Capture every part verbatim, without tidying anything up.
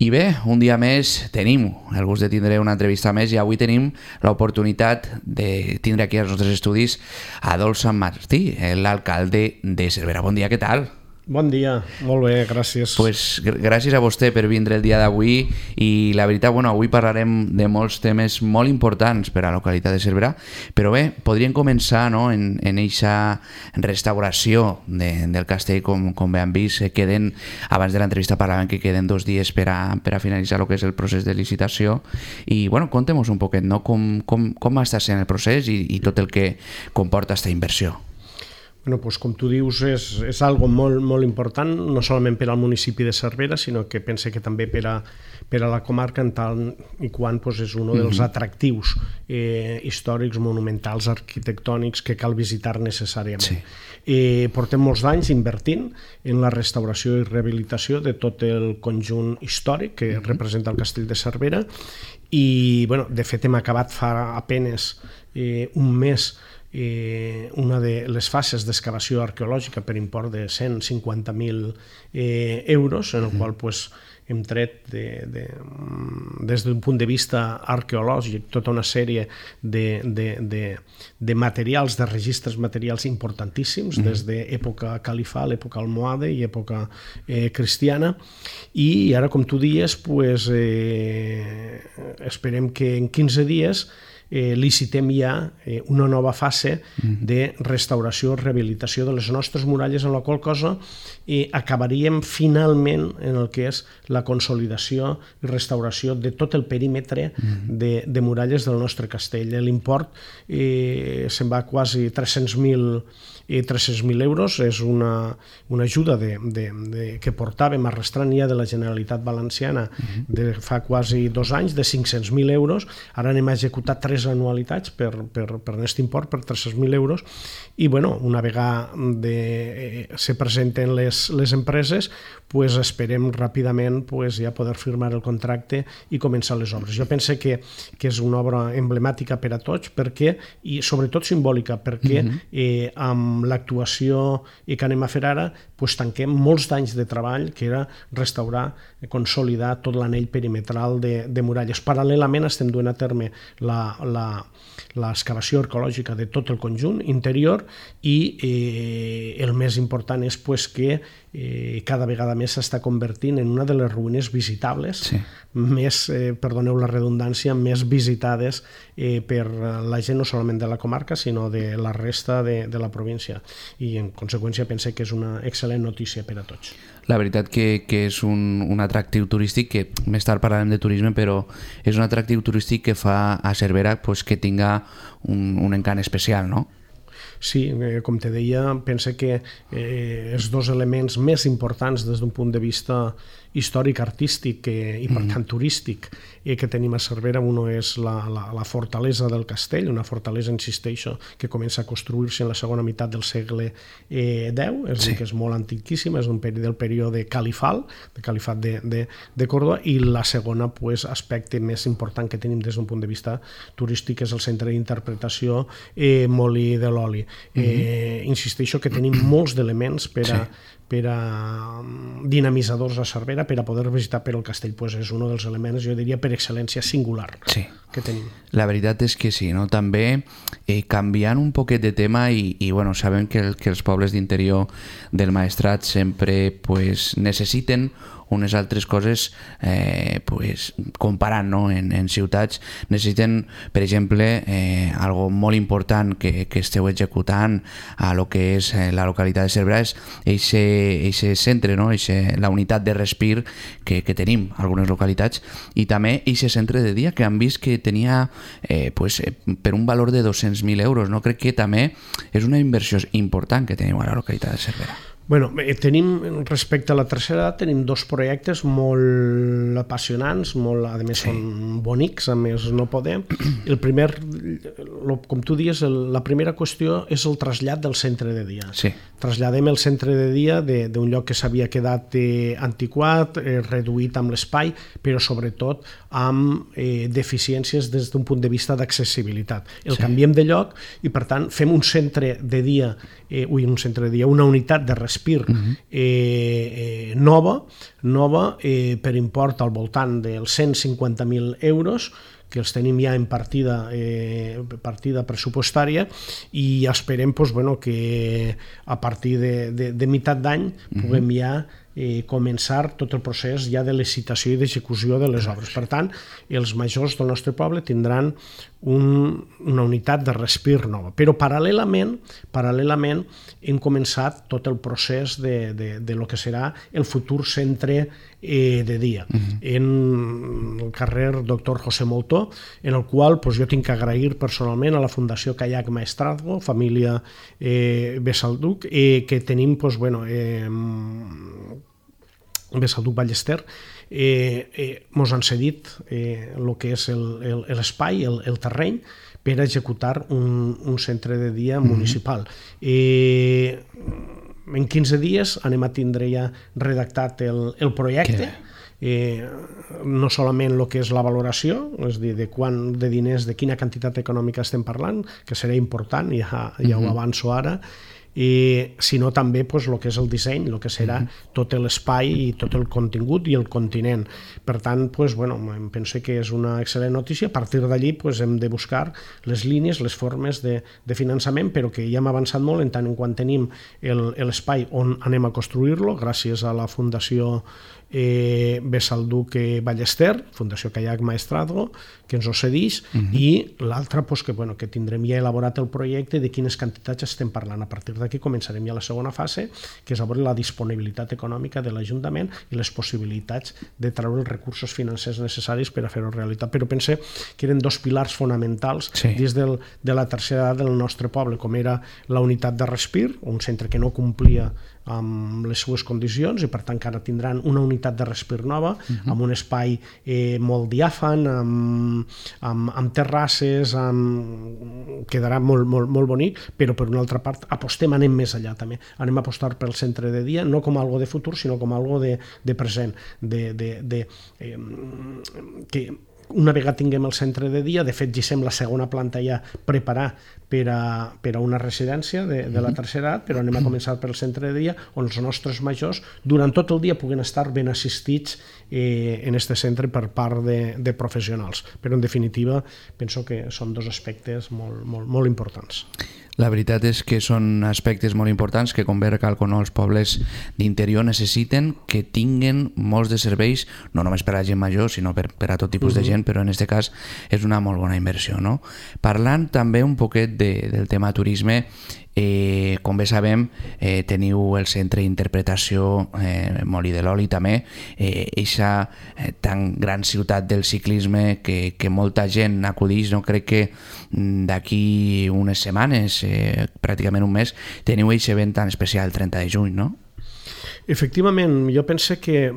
I bé, un dia més tenim el gust de tindre una entrevista més i avui tenim l'oportunitat de tindre aquí als nostres estudis a Adolf Sant Martí, l'alcalde de Cervera. Bon dia, què tal? Bon dia, molt bé, gràcies. Pues, gràcies a vostè per vindre el dia d'avui i la veritat, bueno, avui parlarem de molts temes molt importants per a la localitat de Cervera, però bé, podríem començar, no?, en en eixa restauració de, del castell, com, com bé han vist, queden, abans de l'entrevista parlàvem que queden dos dies per a, per a finalitzar el que és el procés de licitació i, bueno, contem-nos un poquet, no?, com, com, com està sent el procés i, i tot el que comporta aquesta inversió. Bueno, doncs, com tu dius, és, és algo molt, molt important, no solament per al municipi de Cervera, sinó que pense que també per a, per a la comarca, en tal i quan doncs, és un dels atractius eh, històrics, monumentals, arquitectònics que cal visitar necessàriament. Sí. Eh, portem molts anys invertint en la restauració i rehabilitació de tot el conjunt històric que uh-huh. representa el castell de Cervera i, bueno, de fet, hem acabat fa apenes eh, un mes Eh, una de les fases d'excavació arqueològica per import de cent cinquanta mil eh, euros, en el mm. qual pues, hem tret de, de, des d'un punt de vista arqueològic tota una sèrie de, de, de, de materials, de registres materials importantíssims, mm. des d'època califal, època almohade i època eh, cristiana, i ara, com tu dies, pues, eh, esperem que en quinze dies Eh, licitem ja eh, una nova fase de restauració i rehabilitació de les nostres muralles, en la qual cosa eh, acabaríem finalment en el que és la consolidació i restauració de tot el perímetre de, de muralles del nostre castell. L'import eh, se'n va quasi tres-cents mil euros, és una, una ajuda de, de, de, que portàvem arrastrant ja de la Generalitat Valenciana de fa quasi dos anys, de cinc-cents mil euros. Ara anem a executar tres anualitats per, per, per aquest import, per tres-cents mil euros, i bueno, una vegada de, eh, se presenten les, les empreses, pues esperem ràpidament pues, ja poder firmar el contracte i començar les obres. Jo penso que, que és una obra emblemàtica per a tots, perquè, i sobretot simbòlica, perquè eh, amb l'actuació que anem a fer ara pues, tanquem molts d'anys de treball, que era restaurar, consolidar tot l'anell perimetral de, de muralles. Paral·lelament estem duent a terme la, la, l'excavació arqueològica de tot el conjunt interior i eh, el més important és pues, que eh, cada vegada més s'està convertint en una de les ruïnes visitables, sí. més, eh, perdoneu la redundància, més visitades eh, per la gent no solament de la comarca, sinó de la resta de, de la província. I en conseqüència pense que és una excel·lent notícia per a tots. La veritat que, que és un, un atractiu turístic, que més tard parlarem de turisme, però és un atractiu turístic que fa a Cervera pues, que tinga un, un encant especial, no? Sí, eh, com te deia, pense que eh, els dos elements més importants des d'un punt de vista històric, artístic eh, i per tant turístic eh, que tenim a Cervera, uno és la, la, la fortalesa del castell, una fortalesa, insisteixo, que comença a construir-se en la segona meitat del segle eh, deu, és sí. dir, que és molt antiquíssima, és un peri del període califal, de califat de, de, de Còrdova, i la segona pues, aspecte més important que tenim des d'un punt de vista turístic és el centre d'interpretació eh, Molí de l'Oli. Eh, mm-hmm. Insisteixo que tenim molts d'elements per a, sí. per a dinamitzadors a Cervera, per a poder visitar, però el castell pues, és un dels elements, jo diria, per excel·lència singular sí. que tenim. La veritat és que sí, no? També eh, canviant un poquet de tema i, i bueno, sabem que, el, que els pobles d'interior del Maestrat sempre pues, necessiten unes altres coses eh, pues, comparant no? en, en ciutats necessiten, per exemple eh, algo molt important que, que esteu executant a lo que és eh, la localitat de Cervera és eixe centre, no? eixe, la unitat de respir que, que tenim a algunes localitats i també eixe centre de dia que han vist que tenia eh, pues, eh, per un valor de dos-cents mil euros, no? Crec que també és una inversió important que teniu a la localitat de Cervera. Bueno, tenim, respecte a la tercera edat, tenim dos projectes molt apassionants, molt, a més sí. són bonics, a més no podem. El primer, com tu dius, la primera qüestió és el trasllat del centre de dia. Sí. Traslladem el centre de dia d'un lloc que s'havia quedat eh, antiquat, eh, reduït amb l'espai, però sobretot amb eh, deficiències des d'un punt de vista d'accessibilitat. El sí. canviem de lloc i, per tant, fem un centre de dia, eh, ui, un centre de dia, una unitat de recerca Respir uh-huh. eh, eh, nova, nova eh, per import al voltant dels cent cinquanta mil euros, que els tenim ja en partida, eh, partida pressupostària, i esperem pues, bueno, que a partir de, de, de meitat d'any uh-huh. puguem ja eh, començar tot el procés ja de licitació i d'execució de les obres. Per tant, els majors del nostre poble tindran un, una unitat de Respir nova. Però paral·lelament, paral·lelament hem començat tot el procés de, de, de lo que serà el futur centre eh, de dia, uh-huh. en el carrer Doctor José Moltó, en el qual pues, jo tinc que agrair personalment a la Fundació Kayak Maestrazgo, família eh, Besalduc, eh, que tenim pues, bueno, eh, Besalduc Ballester, eh, eh, mos han cedit eh, el que és l'espai, el, el, el terreny, per executar un, un centre de dia mm-hmm. municipal. Eh, en quinze dies anem a tindre ja redactat el, el projecte, eh, no solament el que és la valoració, és dir, de quant de diners, de quina quantitat econòmica estem parlant, que serà important, ja, ja mm-hmm. ho avanço ara, i sinó també pues, el que és el disseny, el que serà mm-hmm. tot l'espai i tot el contingut i el continent. Per tant, pues, bueno, em penso que és una excel·lent notícia. A partir d'allí pues, hem de buscar les línies, les formes de, de finançament, però que ja hem avançat molt en tant en quant tenim l'espai on anem a construir-lo, gràcies a la Fundació eh, Besalduc Ballester, Fundació Kayak Maestrazgo, que ens ho cedeix, uh-huh. i l'altra pues, que, bueno, que tindrem ja elaborat el projecte de quines quantitats estem parlant. A partir d'aquí començarem ja la segona fase, que és a veure la disponibilitat econòmica de l'Ajuntament i les possibilitats de treure els recursos financers necessaris per a fer-ho realitat. Però pense que eren dos pilars fonamentals sí. des del, de la tercera edat del nostre poble, com era la unitat de Respir, un centre que no complia amb les seues condicions i per tant que ara tindran una unitat de Respir nova, uh-huh. amb un espai eh, molt diàfan, amb, amb, amb terrasses, amb... quedarà molt, molt, molt bonic, però per una altra part apostem, anem més allà també, anem a apostar pel centre de dia, no com algo de futur, sinó com algo de, de present, de, de, de, eh, que una vegada tinguem el centre de dia, de fet ja sem la segona planta ja preparar per a, per a una residència de, de la tercera edat, però anem a començar pel centre de dia on els nostres majors durant tot el dia puguen estar ben assistits eh, en este centre per part de, de professionals. Però en definitiva penso que són dos aspectes molt, molt, molt importants. La veritat és que són aspectes molt importants que, com bé recalco, no, els pobles d'interior necessiten que tinguen molts de serveis, no només per a gent major, sinó per, per a tot tipus uh-huh. de gent, però en aquest cas és una molt bona inversió. No? Parlant també un poquet de, del tema turisme, Eh, com bé sabem, eh, teniu el centre d'interpretació eh, Molí de l'Oli també, eixa eh, tan gran ciutat del ciclisme que, que molta gent acudeix. No? Crec que d'aquí unes setmanes, eh, pràcticament un mes, teniu eixe event tan especial el trenta de juny, no? Efectivament, jo penso que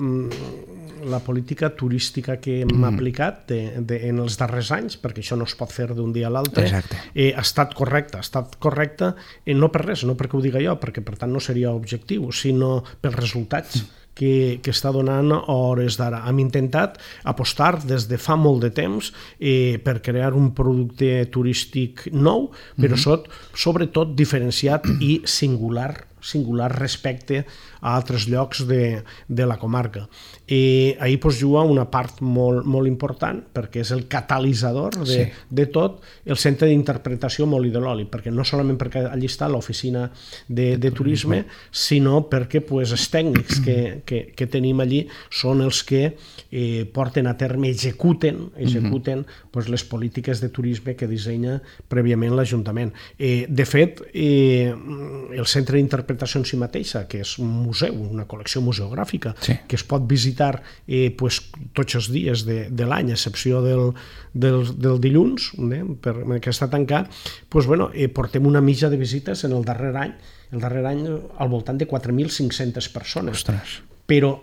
la política turística que hem mm. aplicat de, de, en els darrers anys, perquè això no es pot fer d'un dia a l'altre, eh, ha estat correcta. Ha estat correcta eh, no per res, no perquè ho diga jo, perquè per tant no seria objectiu, sinó pels resultats mm. que, que està donant a hores d'ara. Hem intentat apostar des de fa molt de temps eh, per crear un producte turístic nou, però mm-hmm. sobretot diferenciat i singular singular respecte a altres llocs de, de la comarca. I ahir pues, juga una part molt, molt important, perquè és el catalitzador de, sí. de tot el centre d'interpretació Molí de l'Oli, perquè no solament perquè allí està l'oficina de, de turisme, sinó perquè pues, els tècnics que, que, que tenim allí són els que eh, porten a terme, executen, executen uh-huh. pues, les polítiques de turisme que dissenya prèviament l'Ajuntament. Eh, de fet, eh, el centre d'interpretació en si mateixa, que és un museu, una col·lecció museogràfica, sí. que es pot visitar eh, pues, tots els dies de, de l'any, a excepció del, del, del dilluns, eh, per, que està tancat, pues, bueno, eh, portem una mitja de visites en el darrer any, el darrer any al voltant de quatre mil cinc-centes persones. Ostres. Però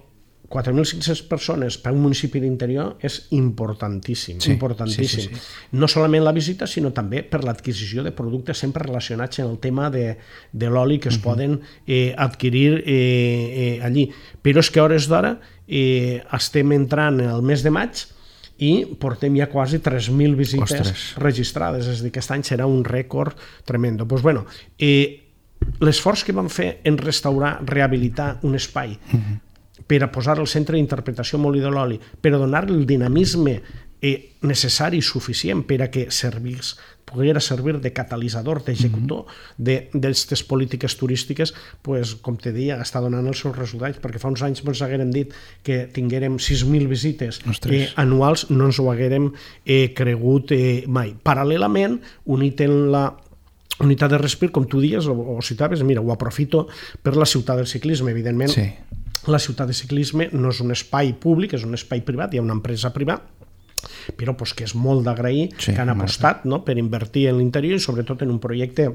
quatre mil cinc-centes persones per a un municipi d'interior és importantíssim, sí, importantíssim. Sí, sí, sí. No solament la visita, sinó també per l'adquisició de productes sempre relacionats amb el tema de, de l'oli que es uh-huh. poden eh, adquirir eh, eh, allí. Però és que a hores d'ara eh, estem entrant el mes de maig i portem ja quasi tres mil visites Ostres. registrades, és a dir, que aquest any serà un rècord tremendo. Doncs, bueno, eh, l'esforç que vam fer en restaurar, rehabilitar un espai uh-huh. per a posar al centre d'interpretació Molí de l'Oli, per a donar el dinamisme eh, necessari i suficient per a que servís, poguera servir de catalitzador, d'executor d'aquestes mm-hmm. polítiques turístiques, pues, com te deia, està donant els seus resultats, perquè fa uns anys ens haguérem dit que tinguérem sis mil visites eh, anuals, no ens ho haguérem eh, cregut eh, mai. Paral·lelament, unit en la unitat de respir, com tu dies, o, o citaves, mira, ho aprofito per la ciutat del ciclisme, evidentment. Sí. La ciutat de ciclisme no és un espai públic, és un espai privat, hi ha una empresa privada, però pues, que és molt d'agrair sí, que han apostat no? per invertir en l'interior i sobretot en un projecte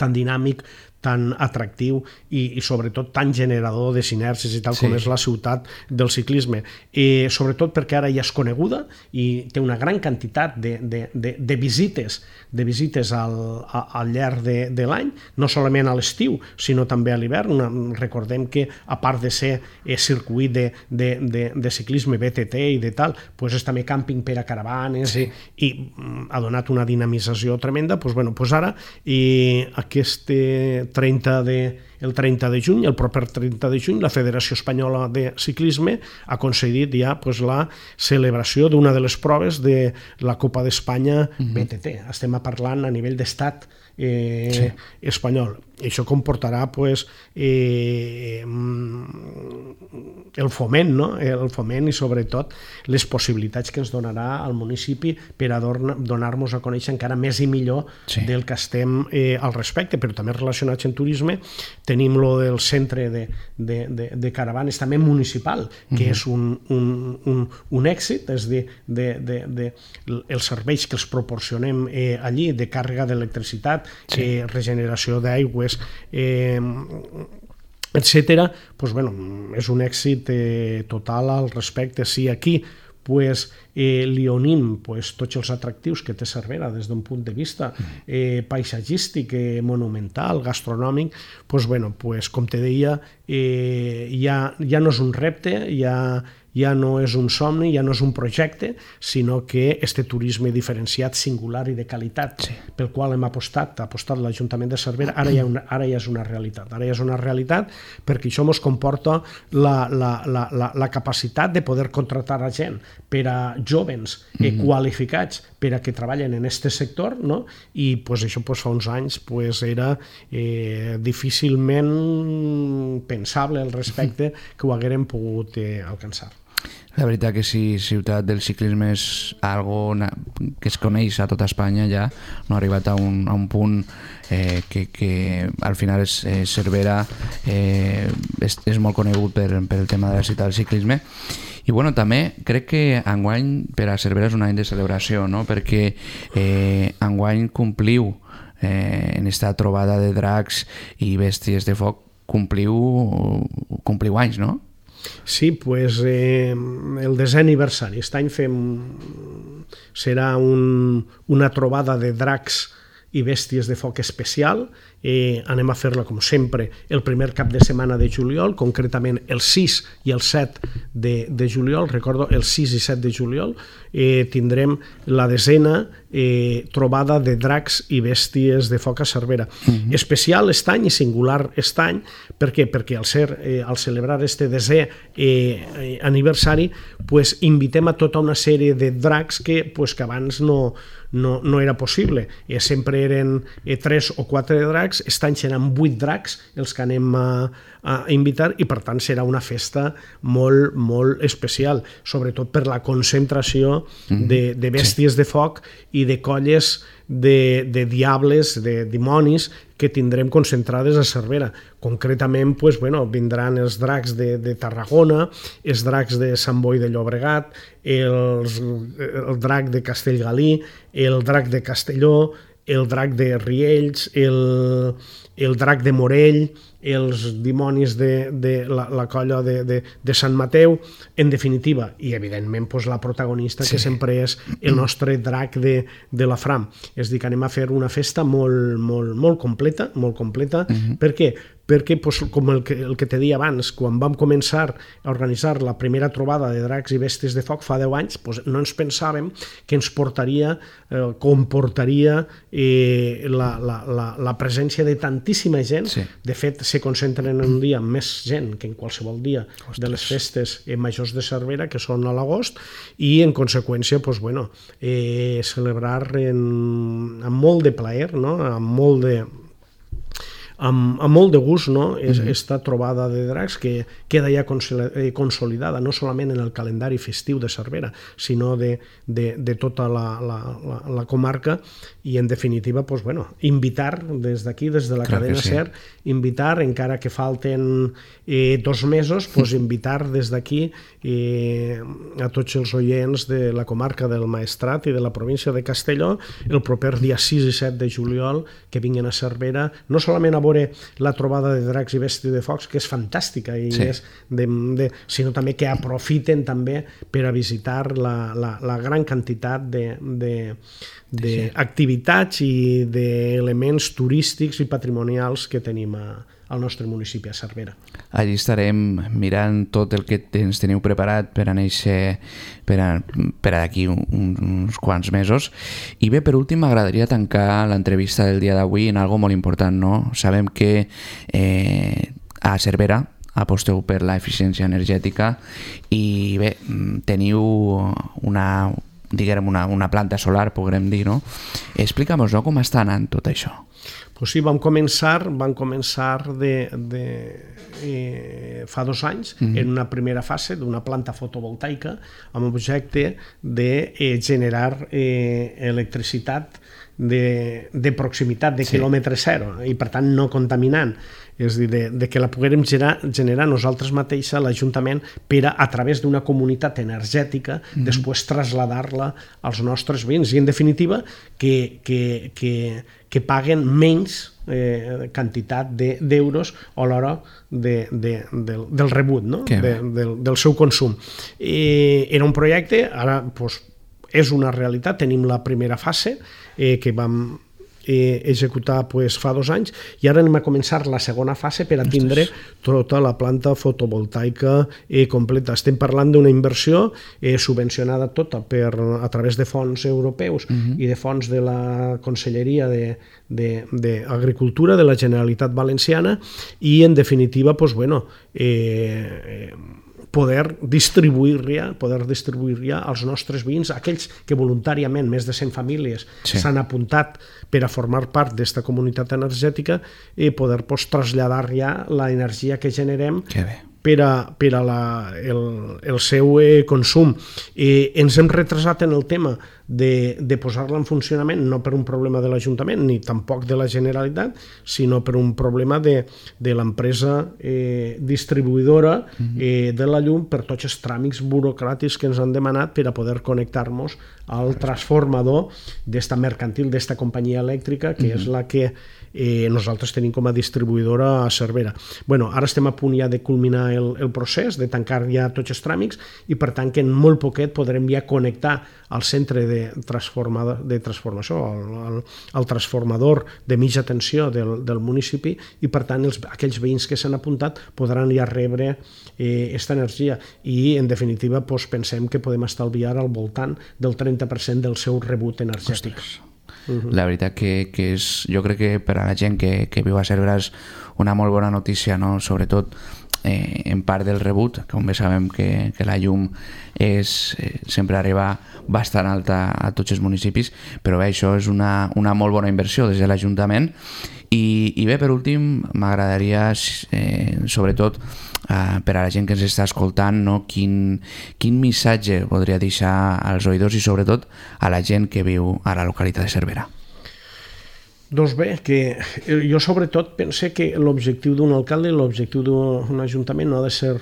tan dinàmic, tan atractiu i, i sobretot tan generador de sinergies i tal sí. com és la ciutat del ciclisme. I sobretot perquè ara ja és coneguda i té una gran quantitat de, de, de, de visites de visites al, a, al llarg de, de l'any, no solament a l'estiu, sinó també a l'hivern. Recordem que, a part de ser eh, circuit de, de, de, de ciclisme B T T i de tal, pues és també càmping per a caravanes sí. i, i ha donat una dinamització tremenda. Pues, bueno, pues ara i aquest trenta de, el trenta de juny, el proper trenta de juny, la Federació Espanyola de Ciclisme ha concedit ja pues, la celebració d'una de les proves de la Copa d'Espanya uh-huh. B T T. Estem parlant a nivell d'estat eh, sí. espanyol. I això comportarà pues, eh, el foment, no? el foment i sobretot les possibilitats que ens donarà al municipi per a donar-nos a conèixer encara més i millor sí. del que estem eh, al respecte, però també relacionats en turisme tenim lo del centre de, de, de, de caravanes també municipal, que uh-huh. és un, un, un, un èxit, és de, de, de, de els serveis que els proporcionem eh, allí, de càrrega d'electricitat, sí. eh, regeneració d'aigües, Eh, etcètera, pues, bueno, és un èxit eh, total al respecte. Si aquí pues, eh, li unim pues, tots els atractius que té Cervera des d'un punt de vista eh, paisatgístic, eh, monumental, gastronòmic, pues, bueno, pues, com te deia, eh, ja, ja no és un repte, ja ja no és un somni, ja no és un projecte, sinó que este turisme diferenciat, singular i de qualitat, sí. pel qual hem apostat, ha apostat l'Ajuntament de Cervera, ara ja, una, ara ja és una realitat. Ara ja és una realitat perquè això ens comporta la, la, la, la, la capacitat de poder contratar a gent per a jóvens eh, mm-hmm. qualificats per a que treballen en aquest sector, no? I pues, això pues, fa uns anys pues, era eh, difícilment pensable al respecte que ho haguérem pogut eh, alcançar. La veritat que si ciutat del ciclisme és algo que es coneix a tota Espanya, ja no ha arribat a un, a un punt eh, que, que al final és, eh, Cervera eh, és, és molt conegut per, per el tema de la ciutat del ciclisme. I bueno, també crec que enguany per a Cervera és un any de celebració, no? Perquè eh, enguany compliu eh, en esta trobada de dracs i bèsties de foc, compliu, compliu anys, no? Sí, pues eh, el desè aniversari. Aquest any fem, serà un, una trobada de dracs i bèsties de foc especial. Eh, anem a fer-la, com sempre, el primer cap de setmana de juliol, concretament el sis i el set de, de juliol. Recordo, el sis i set de juliol eh, tindrem la desena eh, trobada de dracs i bèsties de foc a Cervera. Uh-huh. Especial aquest any i singular aquest any. Per què? Perquè al, ser, eh, al celebrar este desè eh, aniversari pues, invitem a tota una sèrie de dracs que, pues, que abans no, no, no era possible. Eh, sempre eren eh, tres o quatre dracs. Aquest any seran vuit dracs els que anem a, a invitar i per tant serà una festa molt, molt especial, sobretot per la concentració de, de bèsties sí. de foc i de colles de, de diables, de dimonis que tindrem concentrades a Cervera. Concretament pues, bueno, vindran els dracs de, de Tarragona, els dracs de Sant Boi de Llobregat, els, el drac de Castellgalí, el drac de Castelló, el drac de Riells, el, el drac de Morell, els dimonis de, de la, la colla de, de, de Sant Mateu, en definitiva, i evidentment pues, la protagonista sí. que sempre és el nostre drac de, de la Fram. És a dir, que anem a fer una festa molt, molt, molt completa, molt completa. Uh-huh. Per què? perquè, pues, com el que, el que te deia abans, quan vam començar a organitzar la primera trobada de dracs i bèsties de foc fa deu anys, pues, no ens pensàvem que ens portaria, eh, comportaria eh, la, la, la, la presència de tantíssima gent. Sí. De fet, se concentren en un dia més gent que en qualsevol dia Ostres. de les festes majors de Cervera, que són a l'agost, i en conseqüència, pues, bueno, eh, celebrar en, amb molt de plaer, no? amb molt de amb, amb molt de gust, no? És, mm-hmm. esta trobada de dracs que queda ja consolidada no solament en el calendari festiu de Cervera, sinó de, de, de tota la, la, la, la comarca, i en definitiva, pues, bueno, invitar des d'aquí, des de la Clar cadena sí. SER, invitar, encara que falten eh, dos mesos, pues, invitar des d'aquí eh, a tots els oients de la comarca del Maestrat i de la província de Castelló el proper dia sis i set de juliol que vinguin a Cervera, no solament a veure la trobada de dracs i bèsties de focs, que és fantàstica, i sí. és de, de, sinó també que aprofiten també per a visitar la, la, la gran quantitat de, de, d'activitats sí. i d'elements turístics i patrimonials que tenim a, al nostre municipi, a Cervera. Allí estarem mirant tot el que ens teniu preparat per a néixer per a, per a d'aquí un, uns quants mesos. I bé, per últim, m'agradaria tancar l'entrevista del dia d'avui en algo molt important, no? Sabem que eh, a Cervera aposteu per la eficiència energètica i bé, teniu una, diguem, una, una planta solar, podrem dir, no? Explica'm-nos, no, com està anant tot això. Pues sí, vam començar, vam començar de, de, eh, fa dos anys mm-hmm. en una primera fase d'una planta fotovoltaica amb l'objecte de eh, generar eh, electricitat de, de proximitat, de sí. quilòmetre zero, i per tant no contaminant. És a dir, de, de que la poguérem generar, generar nosaltres mateixa, l'Ajuntament, per a, a través d'una comunitat energètica, mm-hmm. després traslladar-la als nostres veïns. I, en definitiva, que, que, que, que paguen menys eh, quantitat d'euros de, a l'hora de, de, del, del rebut, no? de, del, del seu consum. I era un projecte, ara pues, és una realitat, tenim la primera fase eh, que vam eh, executar pues, fa dos anys, i ara anem a començar la segona fase per a tindre tota la planta fotovoltaica eh, completa. Estem parlant d'una inversió eh, subvencionada tota per, a través de fons europeus uh-huh. i de fons de la Conselleria d'Agricultura de, de, de la Generalitat Valenciana, i en definitiva pues, bueno, eh, eh, poder distribuir-la poder distribuir-la als nostres veïns, aquells que voluntàriament, més de cent famílies, s'han sí. apuntat per a formar part d'esta comunitat energètica, i poder pues, traslladar ja l'energia que generem per a, per a la, el, el seu eh, consum. Eh, ens hem retrasat en el tema de, de posar-la en funcionament, no per un problema de l'Ajuntament ni tampoc de la Generalitat, sinó per un problema de, de l'empresa eh, distribuïdora eh, de la llum, per tots els tràmits burocràtics que ens han demanat per a poder connectar-nos al transformador d'esta mercantil, d'esta companyia elèctrica, que és la que eh, nosaltres tenim com a distribuïdora a Cervera. Bueno, ara estem a punt ja de culminar el, el procés, de tancar ja tots els tràmits, i per tant que en molt poquet podrem ja connectar al centre de, de transformació, al, al, al transformador de mitja tensió del, del municipi, i per tant els, aquells veïns que s'han apuntat podran ja rebre aquesta eh, energia, i en definitiva pues, pensem que podem estalviar al voltant del trenta per cent del seu rebut energètic. Ostres. La veritat que, que és, jo crec que per a la gent que, que viu a Cervera és una molt bona notícia, no? Sobretot eh, en part del rebut, com bé sabem que, que la llum és, eh, sempre arriba bastant alta a tots els municipis, però bé, això és una, una molt bona inversió des de l'Ajuntament. I, i bé, per últim, m'agradaria, eh, sobretot, eh, per a la gent que ens està escoltant, no? quin, quin missatge podria deixar als oïdors i sobretot a la gent que viu a la localitat de Cervera. Doncs bé, que jo sobretot pense que l'objectiu d'un alcalde i l'objectiu d'un ajuntament no ha de ser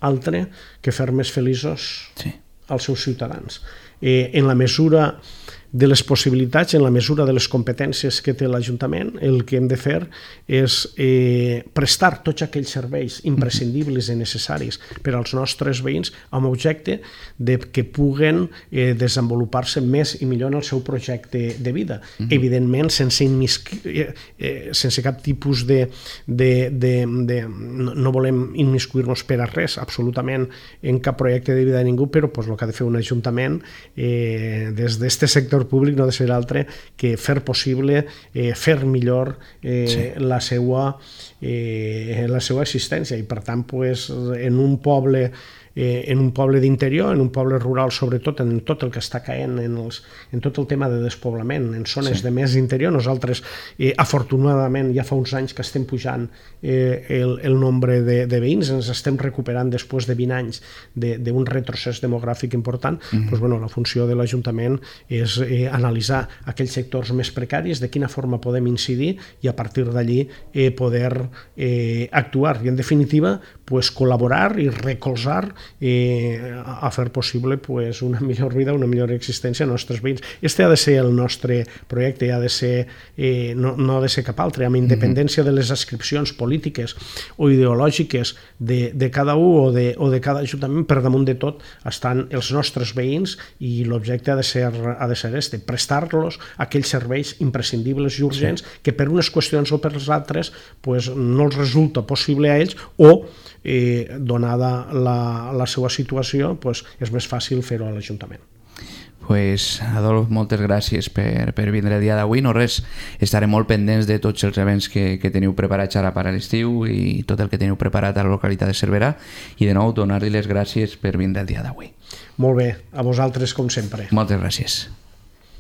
altre que fer més feliços sí. als seus ciutadans. Eh, en la mesura de les possibilitats, en la mesura de les competències que té l'Ajuntament, el que hem de fer és eh, prestar tots aquells serveis imprescindibles i necessaris per als nostres veïns amb objecte de que puguen eh, desenvolupar-se més i millor en el seu projecte de vida. Mm-hmm. Evidentment, sense, immisqui, eh, eh, sense cap tipus de... de, de, de no, no volem immiscuir-nos per a res, absolutament, en cap projecte de vida de ningú, però pues, el que ha de fer un ajuntament eh, des d'aquest sector públic no ha de ser altre que fer possible, eh, fer millor eh, sí. la seva, eh, la seva existència. I per tant, pues, en un poble Eh, en un poble d'interior, en un poble rural, sobretot en tot el que està caent en, els, en tot el tema de despoblament, en zones sí. de més interior. Nosaltres, eh, afortunadament, ja fa uns anys que estem pujant eh, el, el nombre de, de veïns, ens estem recuperant després de vint anys d'un retrocés demogràfic important. Mm-hmm. Pues, bueno, la funció de l'Ajuntament és eh, analitzar aquells sectors més precaris, de quina forma podem incidir i a partir d'allí eh, poder eh, actuar. I, en definitiva, pues, col·laborar i recolzar eh, a fer possible pues, una millor vida, una millor existència als nostres veïns. Este ha de ser el nostre projecte, ha de ser, eh, no, no ha de ser cap altre, amb independència de les adscripcions polítiques o ideològiques de, de cada un o de, o de cada ajuntament. Per damunt de tot estan els nostres veïns i l'objecte ha de ser, ha de ser este, prestar-los aquells serveis imprescindibles i urgents sí. que per unes qüestions o per les altres pues, no els resulta possible a ells o eh, donada la, la seva situació, pues, és més fàcil fer-ho a l'Ajuntament. Pues, Adolf, moltes gràcies per, per vindre el dia d'avui. No res, estarem molt pendents de tots els events que, que teniu preparats ara per a l'estiu i tot el que teniu preparat a la localitat de Cervera, i de nou donar-li les gràcies per vindre el dia d'avui. Molt bé, a vosaltres com sempre. Moltes gràcies.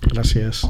Gràcies.